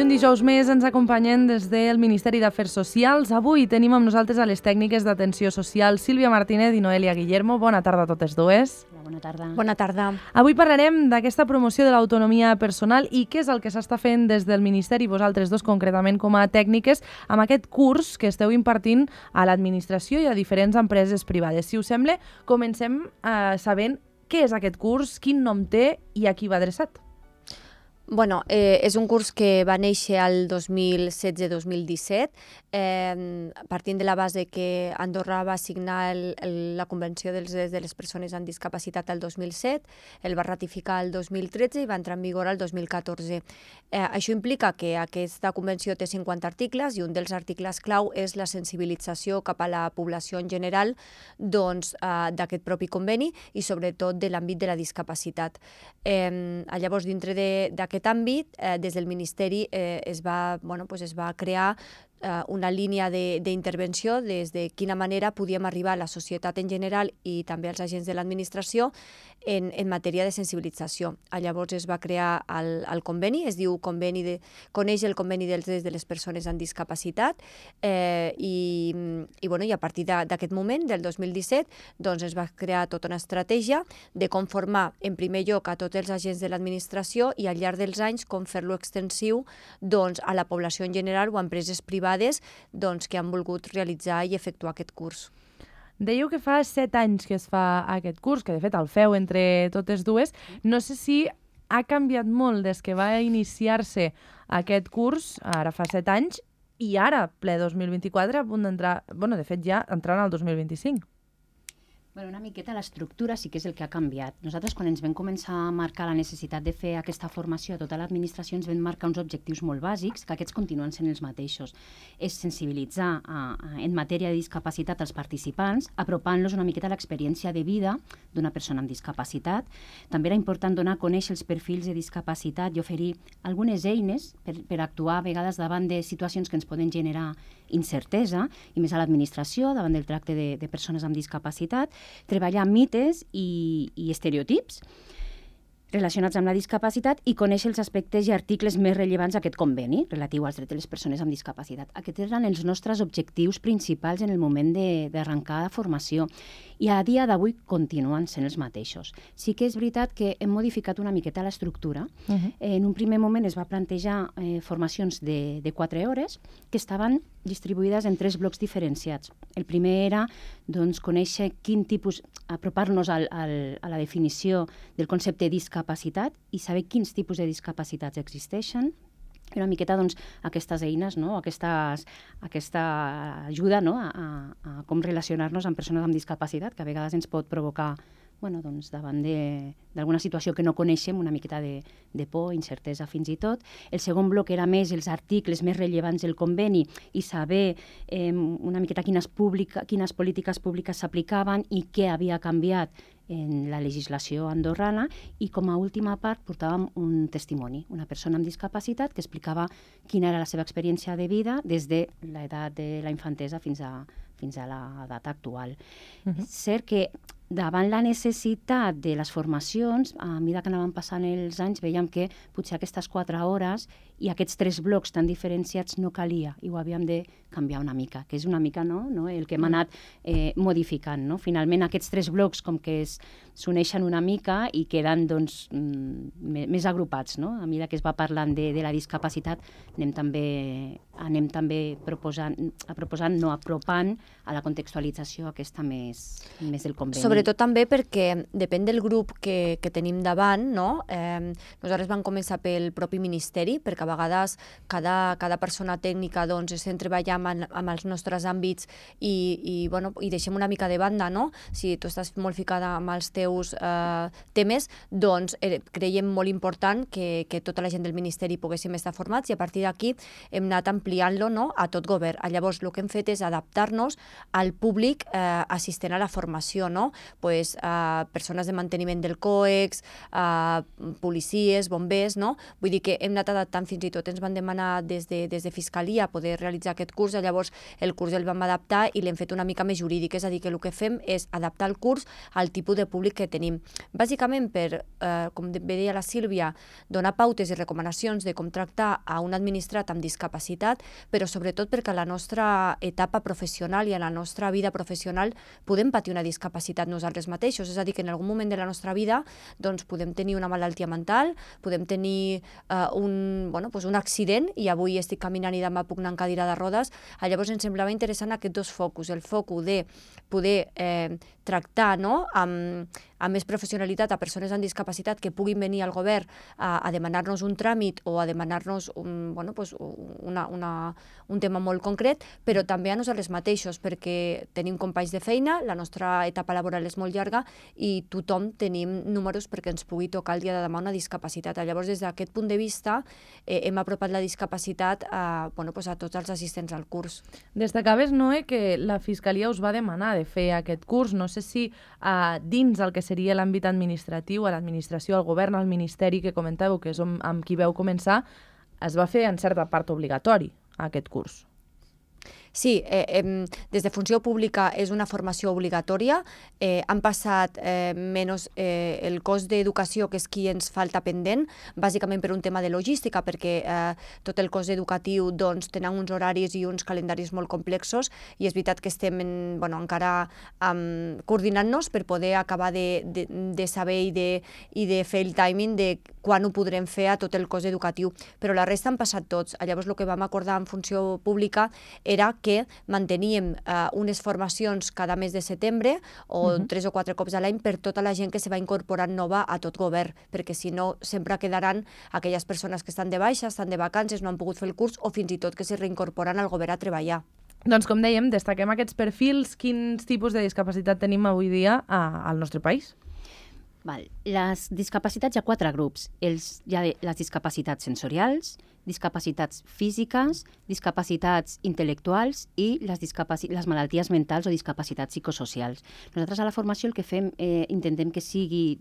I un dijous més ens acompanyen des del Ministeri d'Afers Socials. Avui tenim amb nosaltres a les tècniques d'atenció social Sílvia Martínez i Noelia Guillermo. Bona tarda a totes dues. Bona tarda. Bona tarda. Avui parlarem d'aquesta promoció de l'autonomia personal i què és el que s'està fent des del Ministeri, vosaltres dos concretament com a tècniques, amb aquest curs que esteu impartint a l'administració i a diferents empreses privades. Si us sembla, comencem sabent què és aquest curs, quin nom té i a qui va adreçat. Bueno, és un curs que va néixer al 2016-2017, partint de la base que Andorra va signar la Convenció dels Drets de les Persones amb Discapacitat el 2007, el va ratificar el 2013 i va entrar en vigor el 2014. Això implica que aquesta convenció té 50 articles i un dels articles clau és la sensibilització cap a la població en general d'aquest propi conveni i sobretot de l'àmbit de la discapacitat. Llavors, dintre d'aquest àmbit, des del Ministeri es va crear una línia d'intervenció des de quina manera podíem arribar a la societat en general i també als agents de l'administració en matèria de sensibilització. Llavors es va crear el conveni, es diu Coneix el Conveni dels Drets de les Persones amb Discapacitat i a partir d'aquest moment, del 2017, doncs es va crear tota una estratègia de com formar en primer lloc a tots els agents de l'administració i al llarg dels anys com fer-lo extensiu a la població en general o a empreses privades que han volgut realitzar i efectuar aquest curs. Dèieu que fa 7 anys que es fa aquest curs, que de fet el feu entre totes dues. No sé si ha canviat molt des que va iniciar-se aquest curs, ara fa 7 anys, i ara, ple 2024, a punt d'entrar, de fet ja entrant al 2025. Una miqueta l'estructura sí que és el que ha canviat. Nosaltres, quan ens vam començar a marcar la necessitat de fer aquesta formació a tota l'administració, ens vam marcar uns objectius molt bàsics, que aquests continuen sent els mateixos. És sensibilitzar en matèria de discapacitat als participants, apropant-los una miqueta a l'experiència de vida d'una persona amb discapacitat. També era important donar a conèixer els perfils de discapacitat i oferir algunes eines per actuar a vegades davant de situacions que ens poden generar incertesa, i més a l'administració, davant del tracte de persones amb discapacitat, treballar mites i estereotips relacionats amb la discapacitat i conèixer els aspectes i articles més rellevants d'aquest conveni relatiu als drets de les persones amb discapacitat. Aquests eren els nostres objectius principals en el moment d'arrencar la formació i a dia d'avui continuen sent els mateixos. Sí que és veritat que hem modificat una miqueta l'estructura. En un primer moment es va plantejar formacions de 4 hores que estaven distribuïdes en 3 blocs diferenciats. El primer era conèixer quin tipus, apropar-nos a la definició del concepte de discapacitat i saber quins tipus de discapacitats existeixen. Una miqueta aquestes eines, aquesta ajuda a com relacionar-nos amb persones amb discapacitat, que a vegades ens pot provocar davant d'alguna situació que no coneixem, una miqueta de por, incertesa fins i tot. El segon bloc era més els articles més rellevants del conveni i saber una miqueta quines polítiques públiques s'aplicaven i què havia canviat en la legislació andorrana, i com a última part portàvem un testimoni, una persona amb discapacitat que explicava quina era la seva experiència de vida des de l'edat de la infantesa fins a l'edat actual. És cert que davant la necessitat de les formacions, a mesura que anaven passant els anys, veiem que potser aquestes 4 hores i aquests 3 blocs tan diferenciats no calia i ho havíem de canviar una mica, que és una mica el que hem anat modificant. Finalment, aquests 3 blocs com que s'uneixen una mica i queden més agrupats. A mesura que es va parlant de la discapacitat, anem també apropant a la contextualització aquesta més del conveni. Sobretot també perquè depèn del grup que tenim davant, nosaltres vam començar pel propi Ministeri, perquè a vegades cada persona tècnica estem treballant amb els nostres àmbits i deixem una mica de banda, si tu estàs molt ficada amb els teus temes, doncs creiem molt important que tota la gent del Ministeri poguéssim estar formats i a partir d'aquí hem anat ampliant-lo a tot govern. Llavors, el que hem fet és adaptar-nos al públic assistent a la formació, persones de manteniment del COEX, policies, bombers, no? Vull dir que hem anat adaptant, fins i tot ens van demanar des de Fiscalia poder realitzar aquest curs, llavors el curs el vam adaptar i l'hem fet una mica més jurídic, és a dir, que el que fem és adaptar el curs al tipus de públic que tenim. Bàsicament per, com bé deia la Sílvia, donar pautes i recomanacions de com tractar a un administrat amb discapacitat, però sobretot perquè a la nostra etapa professional i a la nostra vida professional podem patir una discapacitat nosaltres mateixos, és a dir, que en algun moment de la nostra vida doncs, podem tenir una malaltia mental, podem tenir un accident i avui estic caminant i demà puc anar en cadira de rodes. Llavors ens semblava interessant aquests dos focus, el focus de poder tractar amb més professionalitat a persones amb discapacitat que puguin venir al govern a demanar-nos un tràmit o a demanar-nos un tema molt concret, però també a nosaltres mateixos, perquè tenim companys de feina, la nostra etapa laboral és molt llarga i tothom tenim números perquè ens pugui tocar el dia de demà una discapacitat. Llavors, des d'aquest punt de vista, hem apropat la discapacitat a tots els assistents al curs. Destacaves, Noé, que la Fiscalia us va demanar de fer aquest curs. No sé si dins el que seria l'àmbit administratiu, a l'administració, al govern, al ministeri que comentàveu, que és amb qui veu començar, es va fer en certa part obligatori aquest curs. Sí, des de funció pública és una formació obligatòria. Han passat menys el cos d'educació, que és qui ens falta pendent, bàsicament per un tema de logística, perquè tot el cos educatiu tenen uns horaris i uns calendaris molt complexos i és veritat que estem encara coordinant-nos per poder acabar de saber i de fer el timing de quan ho podrem fer a tot el cos educatiu. Però la resta han passat tots. Llavors el que vam acordar en funció pública era que manteníem unes formacions cada mes de setembre o 3 o 4 cops a l'any per tota la gent que se va incorporant nova a tot govern, perquè si no sempre quedaran aquelles persones que estan de baixa, estan de vacances, no han pogut fer el curs o fins i tot que se reincorporen al govern a treballar. Doncs com dèiem, destaquem aquests perfils. Quins tipus de discapacitat tenim avui dia al nostre país? Les discapacitats hi ha 4 grups. Hi ha les discapacitats sensorials, discapacitats físiques, discapacitats intel·lectuals i les malalties mentals o discapacitats psicosocials. Nosaltres a la formació el que fem, intentem que sigui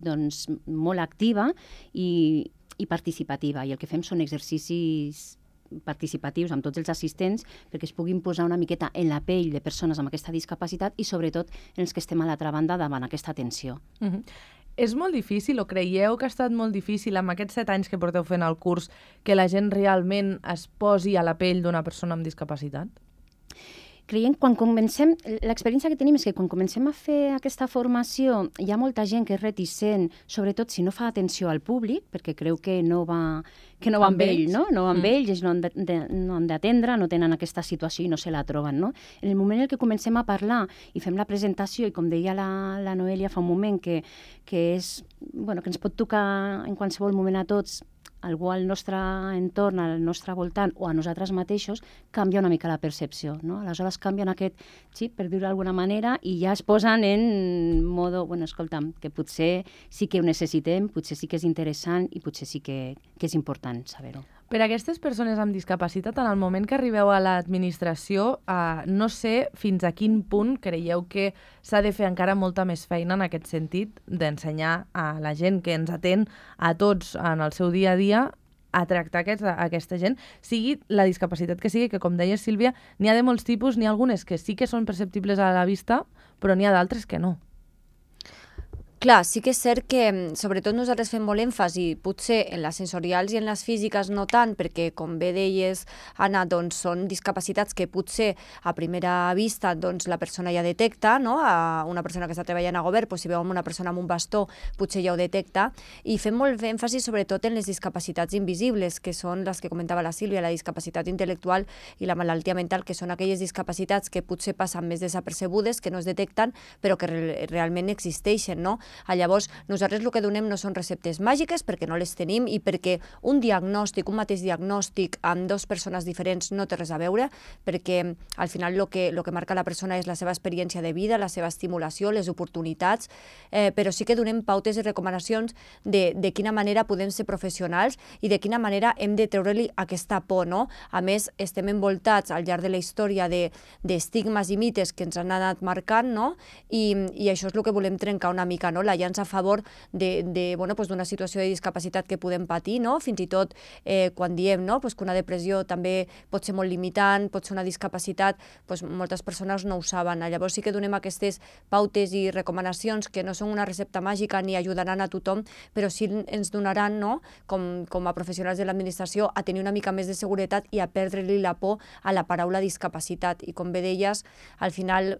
molt activa i participativa, i el que fem són exercicis participatius amb tots els assistents perquè es puguin posar una miqueta en la pell de persones amb aquesta discapacitat i sobretot en els que estem a l'altra banda davant aquesta atenció. És molt difícil, o creieu que ha estat molt difícil amb aquests 7 anys que porteu fent el curs, que la gent realment es posi a la pell d'una persona amb discapacitat? Creiem, quan comencem, l'experiència que tenim és que quan comencem a fer aquesta formació hi ha molta gent que és reticent, sobretot si no fa atenció al públic, perquè creu que no va amb ell, no va amb ells, ells no han d'atendre, no tenen aquesta situació i no se la troben. No? En el moment en què comencem a parlar i fem la presentació, i com deia la Noelia fa un moment, que ens pot tocar en qualsevol moment a tots, algú al nostre entorn, al nostre voltant o a nosaltres mateixos, canvia una mica la percepció. No? Aleshores canvien aquest xip, per dir-ho d'alguna manera, i ja es posen en modo, escolta'm, que potser sí que ho necessitem, potser sí que és interessant i potser sí que és important saber-ho. Per a aquestes persones amb discapacitat, en el moment que arribeu a l'administració, no sé fins a quin punt creieu que s'ha de fer encara molta més feina en aquest sentit d'ensenyar a la gent que ens atén a tots en el seu dia a dia a tractar aquesta gent, sigui la discapacitat que sigui, que com deia Sílvia, n'hi ha de molts tipus, n'hi ha algunes que sí que són perceptibles a la vista, però n'hi ha d'altres que no. Clar, sí que és cert que sobretot nosaltres fem molt èmfasi, potser en les sensorials i en les físiques no tant, perquè com bé deies, Anna, són discapacitats que potser a primera vista la persona ja detecta, no? Una persona que està treballant a govern, si veu una persona amb un bastó, potser ja ho detecta, i fem molt èmfasi sobretot en les discapacitats invisibles, que són les que comentava la Sílvia, la discapacitat intel·lectual i la malaltia mental, que són aquelles discapacitats que potser passen més desapercebudes, que no es detecten, però que realment existeixen, no? Llavors, nosaltres el que donem no són receptes màgiques perquè no les tenim i perquè un diagnòstic, un mateix diagnòstic amb dues persones diferents no té res a veure, perquè al final el que marca la persona és la seva experiència de vida, la seva estimulació, les oportunitats, però sí que donem pautes i recomanacions de quina manera podem ser professionals i de quina manera hem de treure-li aquesta por, no? A més, estem envoltats al llarg de la història d'estigmes i mites que ens han anat marcant, no? I això és el que volem trencar una mica, no? La llança a favor d'una situació de discapacitat que podem patir, no? Fins i tot quan diem, no? Que una depressió també pot ser molt limitant, pot ser una discapacitat, moltes persones no ho saben. Llavors sí que donem aquestes pautes i recomanacions que no són una recepta màgica ni ajudaran a tothom, però sí ens donaran, no? Com a professionals de l'administració, a tenir una mica més de seguretat i a perdre-li la por a la paraula discapacitat. I com bé deies, al final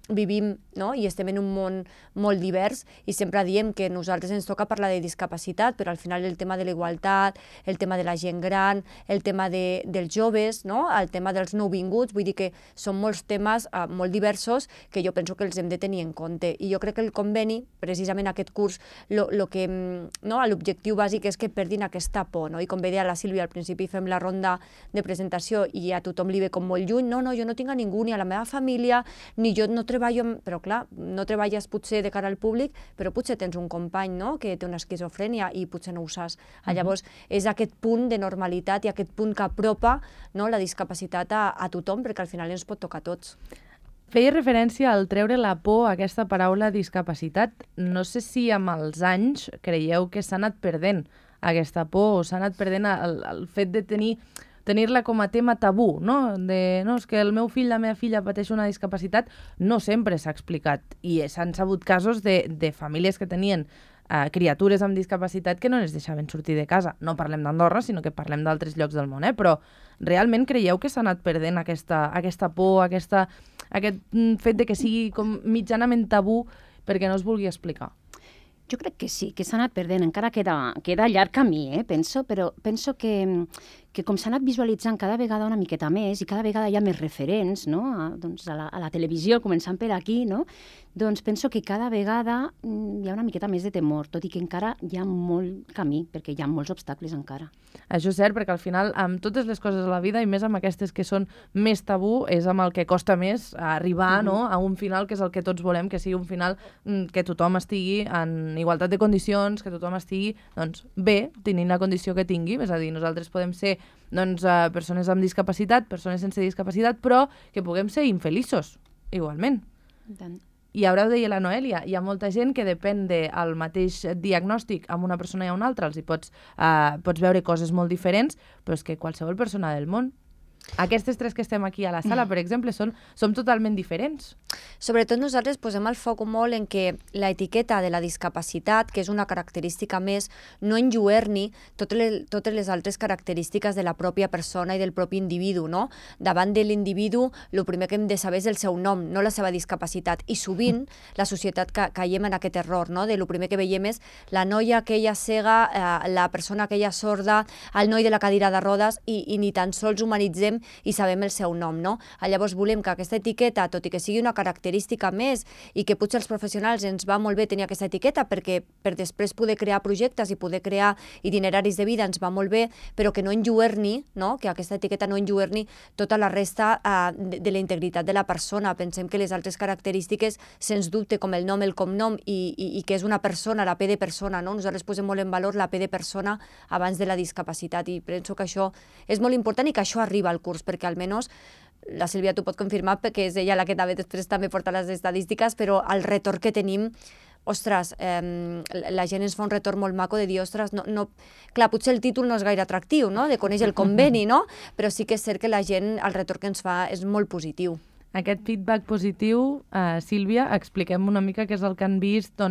vivim, no? I estem en un món molt divers i sempre diem que a nosaltres ens toca parlar de discapacitat, però al final el tema de la igualtat, el tema de la gent gran, el tema dels joves, no? El tema dels nouvinguts, vull dir que són molts temes molt diversos que jo penso que els hem de tenir en compte. I jo crec que el conveni, precisament aquest curs, l'objectiu bàsic és que perdin aquesta por, no? I com bé deia la Sílvia, al principi fem la ronda de presentació i a tothom li ve com molt lluny, no, jo no tinc a ningú, ni a la meva família, ni jo no treballo, però clar, no treballes potser de cara al públic, però potser tens un company, no?, que té una esquizofrènia i potser no ho saps. Llavors, és aquest punt de normalitat i aquest punt que apropa, no, la discapacitat a tothom, perquè al final ens pot tocar a tots. Feia referència al treure la por a aquesta paraula discapacitat. No sé si amb els anys creieu que s'ha anat perdent aquesta por o s'ha anat perdent el fet de tenir-la com a tema tabú, no? És que el meu fill, la meva filla pateix una discapacitat, no sempre s'ha explicat. I s'han sabut casos de famílies que tenien criatures amb discapacitat que no les deixaven sortir de casa. No parlem d'Andorra, sinó que parlem d'altres llocs del món, però realment creieu que s'ha anat perdent aquesta por, aquest fet de que sigui com mitjanament tabú perquè no es vulgui explicar? Jo crec que sí, que s'ha anat perdent. Encara queda llarg camí, penso, però penso que com s'ha anat visualitzant cada vegada una miqueta més i cada vegada hi ha més referents, no? A la televisió, començant per aquí, no? Doncs penso que cada vegada hi ha una miqueta més de temor, tot i que encara hi ha molt camí, perquè hi ha molts obstacles encara. Això és cert, perquè al final, amb totes les coses a la vida, i més amb aquestes que són més tabú, és amb el que costa més arribar, no?, a un final que és el que tots volem, que sigui un final que tothom estigui en igualtat de condicions, que tothom estigui bé, tenint la condició que tingui. És a dir, nosaltres podem ser persones amb discapacitat, persones sense discapacitat, però que puguem ser infeliços, igualment. I ara ho deia la Noèlia, hi ha molta gent que depèn del mateix diagnòstic amb una persona i a una altra, pots veure coses molt diferents, però és que qualsevol persona del món, aquestes tres que estem aquí a la sala, per exemple, som totalment diferents. Sobretot nosaltres posem el foc molt en que l'etiqueta de la discapacitat, que és una característica més, no enlluerni totes les altres característiques de la pròpia persona i del propi individu, no? Davant de l'individu, el primer que hem de saber és el seu nom, no la seva discapacitat. I sovint la societat caiem en aquest error, no? El primer que veiem és la noia aquella cega, la persona aquella sorda, el noi de la cadira de rodes, i ni tan sols humanitzem i sabem el seu nom, no? Llavors volem que aquesta etiqueta, tot i que sigui una característica més i que potser als professionals ens va molt bé tenir aquesta etiqueta perquè per després poder crear projectes i poder crear itineraris de vida ens va molt bé, però que no enlluerni, no? Que aquesta etiqueta no enlluerni tota la resta de la integritat de la persona. Pensem que les altres característiques, sens dubte, com el nom, el cognom i que és una persona, la P de persona, no? Nosaltres posem molt en valor la P de persona abans de la discapacitat i penso que això és molt important i que això arriba al curs, perquè almenys la Sílvia t'ho pot confirmar perquè és ella la que després també porta les estadístiques, però el retorn que tenim, ostres, la gent ens fa un retorn molt maco de dir, ostres, clar, potser el títol no és gaire atractiu, no?, de conèixer el conveni, no?, però sí que és cert que la gent, el retorn que ens fa és molt positiu. Aquest feedback positiu, Sílvia, expliquem una mica què és el que han vist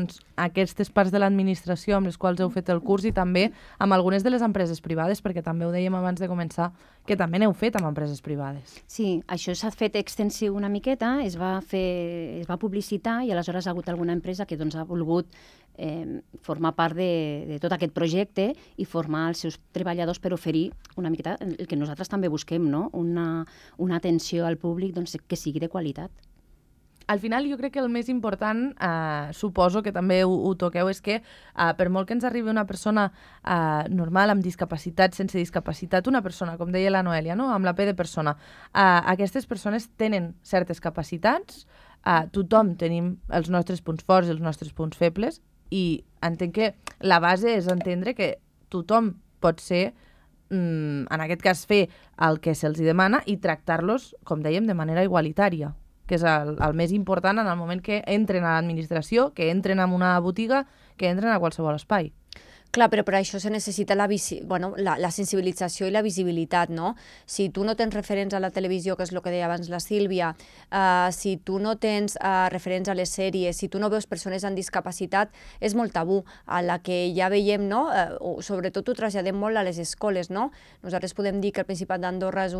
aquestes parts de l'administració amb les quals heu fet el curs i també amb algunes de les empreses privades, perquè també ho dèiem abans de començar, que també n'heu fet amb empreses privades. Sí, això s'ha fet extensiu una miqueta, es va publicitar i aleshores ha hagut alguna empresa que ha volgut formar part de tot aquest projecte i formar els seus treballadors per oferir una miqueta el que nosaltres també busquem, no? Una atenció al públic que sigui de qualitat. Al final jo crec que el més important, suposo que també ho toqueu, és que per molt que ens arribi una persona normal, amb discapacitat, sense discapacitat, una persona, com deia la Noelia, no? Amb la P de persona, aquestes persones tenen certes capacitats, tothom tenim els nostres punts forts i els nostres punts febles, i entenc que la base és entendre que tothom pot ser, en aquest cas, fer el que se'ls demana i tractar-los, com dèiem, de manera igualitària, que és el més important en el moment que entren a l'administració, que entren en una botiga, que entren a qualsevol espai. Clar, però per això se necessita la sensibilització i la visibilitat, no? Si tu no tens referents a la televisió, que és el que deia abans la Sílvia, si tu no tens referents a les sèries, si tu no veus persones amb discapacitat, és molt tabú. A la que ja veiem, no? Sobretot ho traslladem molt a les escoles, no? Nosaltres podem dir que el Principat d'Andorra és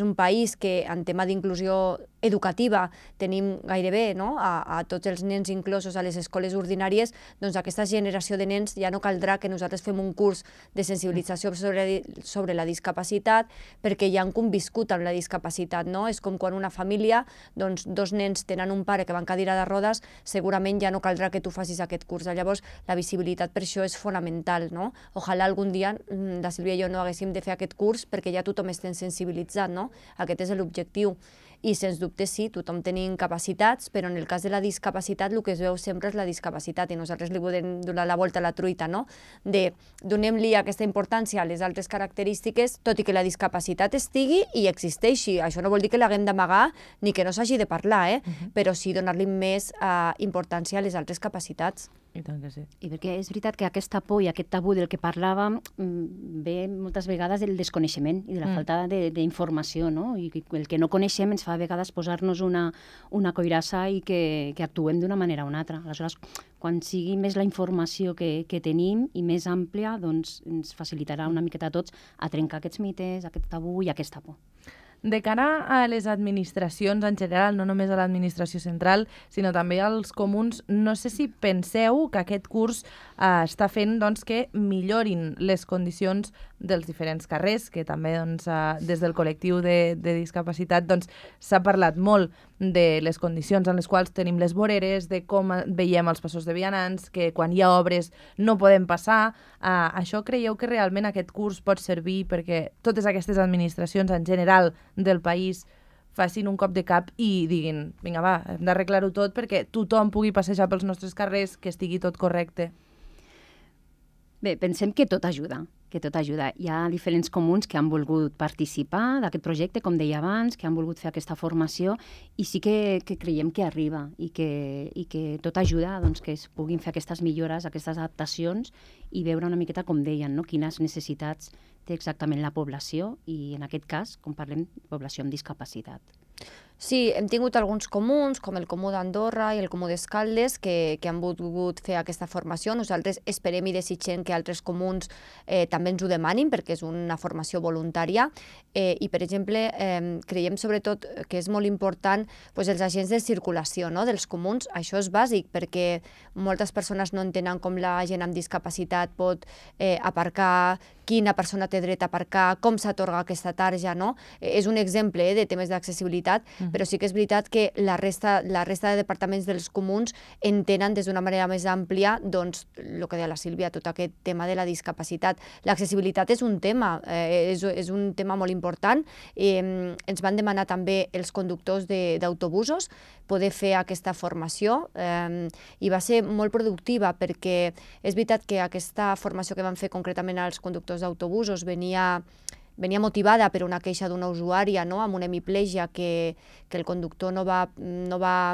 un país que en tema d'inclusió educativa tenim gairebé, no? A tots els nens inclosos a les escoles ordinàries, doncs aquesta generació de nens ja no caldrà que nosaltres fem un curs de sensibilització sobre la discapacitat perquè ja han conviscut amb la discapacitat, no? És com quan una família, doncs dos nens tenen un pare que va en cadira de rodes, segurament ja no caldrà que tu facis aquest curs. Llavors, la visibilitat per això és fonamental, no? Ojalà algun dia la Sílvia i jo no haguéssim de fer aquest curs perquè ja tothom estem sensibilitzat, no? Aquest és l'objectiu. I, sens dubte, sí, tothom tenim capacitats, però en el cas de la discapacitat el que es veu sempre és la discapacitat i nosaltres li podem donar la volta a la truita, no? Donem-li aquesta importància a les altres característiques, tot i que la discapacitat estigui i existeixi. Això no vol dir que l'haguem d'amagar ni que no s'hagi de parlar, però sí donar-li més importància a les altres capacitats. I tant que sí. I perquè és veritat que aquesta por i aquest tabú del que parlàvem ve moltes vegades del desconeixement i de la falta d'informació, no? I el que no coneixem ens fa a vegades posar-nos una coirassa i que actuem d'una manera o una altra. Aleshores, quan sigui més la informació que tenim i més àmplia, doncs ens facilitarà una miqueta a tots a trencar aquests mites, aquest tabú i aquesta por. De cara a les administracions en general, no només a l'administració central, sinó també als comuns, no sé si penseu que aquest curs està fent que millorin les condicions dels diferents carrers, que també des del col·lectiu de discapacitat s'ha parlat molt de les condicions en les quals tenim les voreres, de com veiem els passos de vianants, que quan hi ha obres no podem passar. Això creieu que realment aquest curs pot servir perquè totes aquestes administracions en general del país facin un cop de cap i diguin, vinga va, hem d'arreglar-ho tot perquè tothom pugui passejar pels nostres carrers, que estigui tot correcte? Bé, pensem que tot ajuda. Hi ha diferents comuns que han volgut participar d'aquest projecte, com deia abans, que han volgut fer aquesta formació i sí que creiem que arriba i que tot ajuda que es puguin fer aquestes millores, aquestes adaptacions i veure una miqueta, com deien, quines necessitats té exactament la població i, en aquest cas, com parlem, població amb discapacitat. Sí, hem tingut alguns comuns, com el Comú d'Andorra i el Comú d'Escaldes, que han volgut fer aquesta formació. Nosaltres esperem i desitgem que altres comuns també ens ho demanin, perquè és una formació voluntària. I, per exemple, creiem sobretot que és molt important els agents de circulació dels comuns. Això és bàsic, perquè moltes persones no entenen com la gent amb discapacitat pot aparcar, quina persona té dret a aparcar, com s'atorga aquesta tarja, no? És un exemple de temes d'accessibilitat, però sí que és veritat que la resta de departaments dels comuns entenen des d'una manera més àmplia, doncs, el que deia la Sílvia, tot aquest tema de la discapacitat. L'accessibilitat és un tema, és un tema molt important. Ens van demanar també els conductors d'autobusos poder fer aquesta formació i va ser molt productiva perquè és veritat que aquesta formació que van fer concretament als conductors d'autobusos venia motivada per una queixa d'una usuària amb una hemiplegia que el conductor no va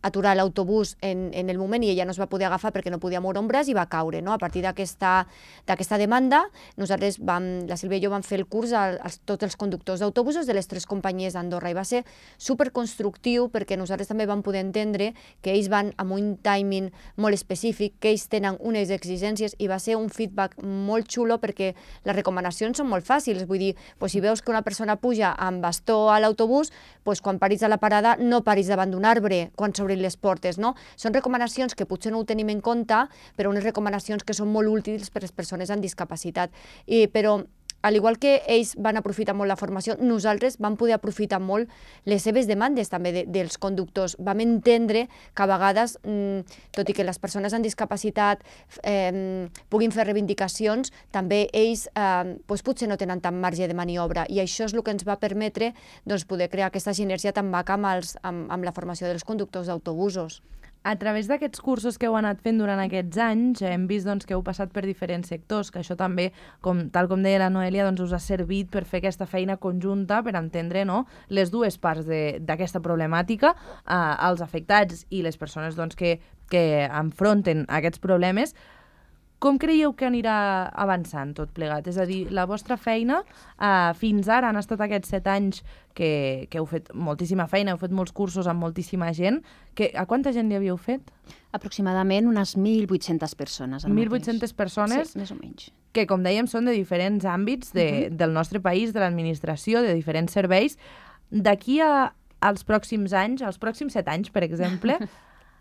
aturar l'autobús en el moment i ella no es va poder agafar perquè no podia moure un braç i va caure. A partir d'aquesta demanda, nosaltres, la Sílvia i jo vam fer el curs a tots els conductors d'autobusos de les 3 companyies d'Andorra i va ser superconstructiu perquè nosaltres també vam poder entendre que ells van amb un timing molt específic, que ells tenen unes exigències i va ser un feedback molt xulo perquè les recomanacions són molt fàcils. Vull dir, si veus que una persona puja amb bastó a l'autobús, quan paris a la parada no paris davant d'un arbre quan s'obrin les portes, no? Són recomanacions que potser no ho tenim en compte, però unes recomanacions que són molt útils per a les persones amb discapacitat. Però al igual que ells van aprofitar molt la formació, nosaltres vam poder aprofitar molt les seves demandes també dels conductors. Vam entendre que a vegades, tot i que les persones amb discapacitat puguin fer reivindicacions, també ells potser no tenen tant marge de maniobra, i això és el que ens va permetre poder crear aquesta sinergia tan maca amb la formació dels conductors d'autobusos. A través d'aquests cursos que heu anat fent durant aquests anys, hem vist que heu passat per diferents sectors, que això també, tal com deia la Noelia, us ha servit per fer aquesta feina conjunta, per entendre les dues parts d'aquesta problemàtica, els afectats i les persones que enfronten aquests problemes. Com creieu que anirà avançant tot plegat? És a dir, la vostra feina fins ara han estat aquests 7 anys que heu fet moltíssima feina, heu fet molts cursos amb moltíssima gent. A quanta gent li havíeu fet? Aproximadament unes 1.800 persones. 1.800 persones? Sí, més o menys. Que, com dèiem, són de diferents àmbits del nostre país, de l'administració, de diferents serveis. D'aquí als pròxims anys, als pròxims 7 anys, per exemple,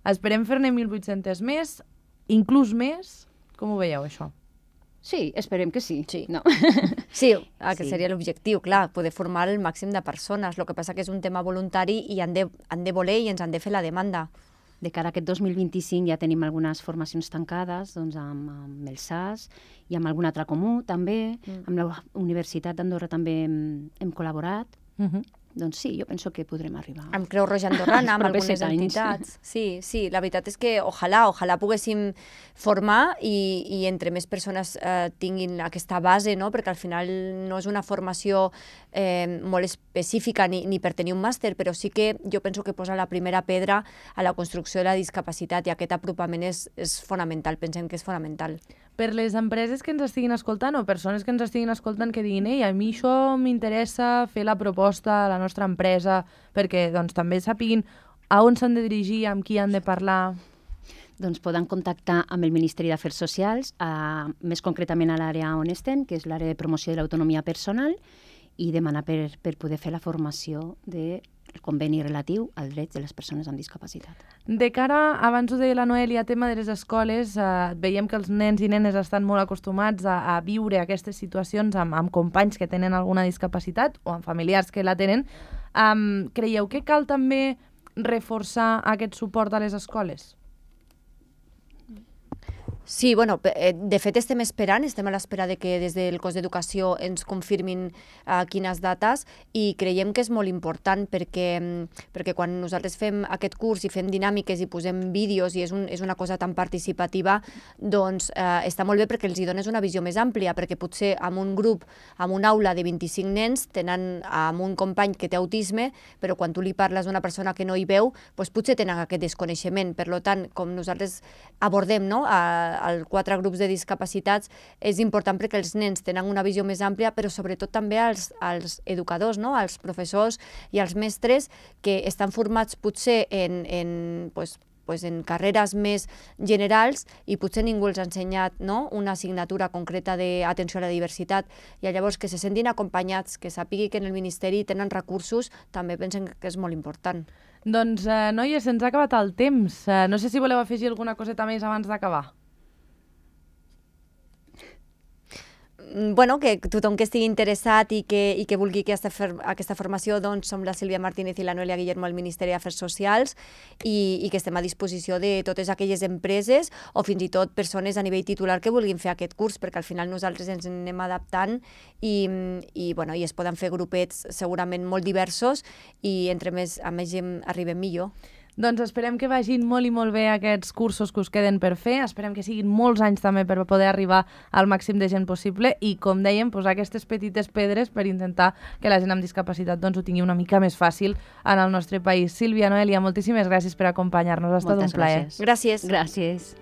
esperem fer-ne 1.800 més, inclús més. Com ho veieu, això? Sí, esperem que sí. No? Sí, que seria l'objectiu, clar, poder formar el màxim de persones. El que passa que és un tema voluntari i han de voler i ens han de fer la demanda. De cara a aquest 2025 ja tenim algunes formacions tancades amb el SAS i amb algun altre comú, també. Amb la Universitat d'Andorra també hem col·laborat. Doncs sí, jo penso que podrem arribar. Amb Creu Roja Andorrana, amb algunes entitats. Sí, la veritat és que ojalà poguéssim formar i entre més persones tinguin aquesta base, perquè al final no és una formació molt específica ni per tenir un màster, però sí que jo penso que posa la primera pedra a la construcció de la discapacitat, i aquest apropament és fonamental, pensem que és fonamental. Per les empreses que ens estiguin escoltant o persones que ens estiguin escoltant que diguin a mi això m'interessa fer la proposta a la nostra empresa, perquè també sàpiguin a on s'han de dirigir, amb qui han de parlar. Doncs poden contactar amb el Ministeri d'Afers Socials, més concretament a l'àrea on estem, que és l'àrea de promoció de l'autonomia personal, i demanar per poder fer la formació del conveni relatiu als drets de les persones amb discapacitat. De cara, abans ho deia la Noelia, tema de les escoles, veiem que els nens i nenes estan molt acostumats a viure aquestes situacions amb companys que tenen alguna discapacitat o amb familiars que la tenen. Creieu que cal també reforçar aquest suport a les escoles? Sí, de fet estem a l'espera de que des del cos d'educació ens confirmin quines dates, i creiem que és molt important perquè quan nosaltres fem aquest curs i fem dinàmiques i posem vídeos i és una cosa tan participativa, doncs està molt bé perquè els hi dones una visió més àmplia, perquè potser en un grup, en una aula de 25 nens, tenen amb un company que té autisme, però quan tu li parles d'una persona que no hi veu, potser tenen aquest desconeixement. Per tant, com nosaltres abordem als 4 grups de discapacitats, és important perquè els nens tenen una visió més àmplia, però sobretot també als educadors, als professors i als mestres, que estan formats potser en carreres més generals i potser ningú els ha ensenyat una assignatura concreta d'atenció a la diversitat, i llavors que se sentin acompanyats, que sàpigui que en el Ministeri tenen recursos, també pensen que és molt important. Doncs, noies, se'ns ha acabat el temps. No sé si voleu afegir alguna coseta més abans d'acabar. Que tothom que estigui interessat i que vulgui aquesta formació, doncs som la Sílvia Martínez i la Noelia Guillermo al Ministeri d'Afers Socials, i que estem a disposició de totes aquelles empreses o fins i tot persones a nivell titular que vulguin fer aquest curs, perquè al final nosaltres ens anem adaptant i es poden fer grupets segurament molt diversos, i a més gent arribem millor. Doncs esperem que vagin molt i molt bé aquests cursos que us queden per fer. Esperem que siguin molts anys també per poder arribar al màxim de gent possible i, com dèiem, posar aquestes petites pedres per intentar que la gent amb discapacitat ho tingui una mica més fàcil en el nostre país. Sílvia, Noelia, moltíssimes gràcies per acompanyar-nos. Ha estat un plaer. Gràcies. Gràcies.